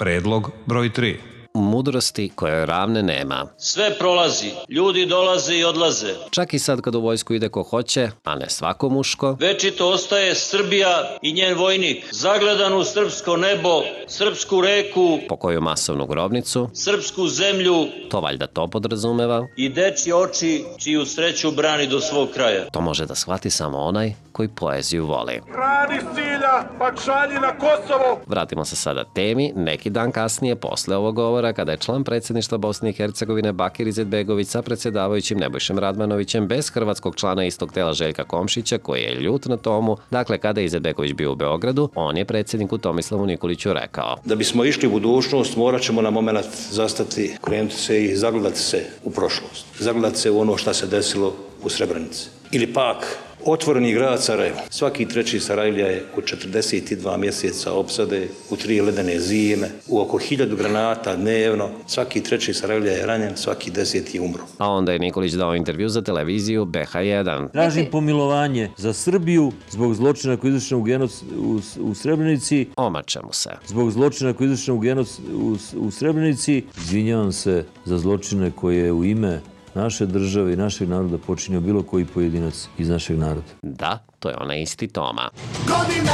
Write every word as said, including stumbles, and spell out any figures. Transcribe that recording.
Predlog broj tri. Mudrosti kojoj ravne nema. Sve prolazi, ljudi dolaze i odlaze. Čak i sad kad u vojsku ide ko hoće, a ne svako muško. Večito ostaje Srbija i njen vojnik, zagledan u srpsko nebo, srpsku reku, po koju masovnu grobnicu, srpsku zemlju, to valjda to podrazumeva, i dečji oči čiju sreću brani do svog kraja. To može da shvati samo onaj koji poeziju voli. Radi cilja, pa šalji na Kosovo! Vratimo se sada temi. Neki dan kasnije, posle ovog govora, kada je član predsjedništva Bosne i Hercegovine Bakir Izetbegović sa predsjedavajućim Nebojšem Radmanovićem bez hrvatskog člana istog tela Željka Komšića, koji je ljut na tomu, dakle kada je Izetbegović bio u Beogradu, on je predsjedniku Tomislavu Nikoliću rekao: da bismo išli u budućnost, morat ćemo na moment zastati, krenuti se i zagledati se u prošlost. Zagledati se u ono što se desilo u Srebrenici. Ili pak otvoreni grad Sarajevo. Svaki treći Sarajlija je u četrdeset dva mjeseca opsade, u tri ledene zime, u oko hiljadu granata dnevno. Svaki treći Sarajlija je ranjen, svaki deseti je umro. A onda je Nikolić dao intervju za televiziju B H jedan. Tražim pomilovanje za Srbiju zbog zločina koji je izvršen u, genoc, u, u Srebrenici. Omače mu se. Zbog zločina koji je izvršen u, genoc, u, u Srebrenici. Izvinjavam se za zločine koje je u ime naše države i našeg naroda počinio bilo koji pojedinac iz našeg naroda. Da, to je onaj isti Toma. Godina,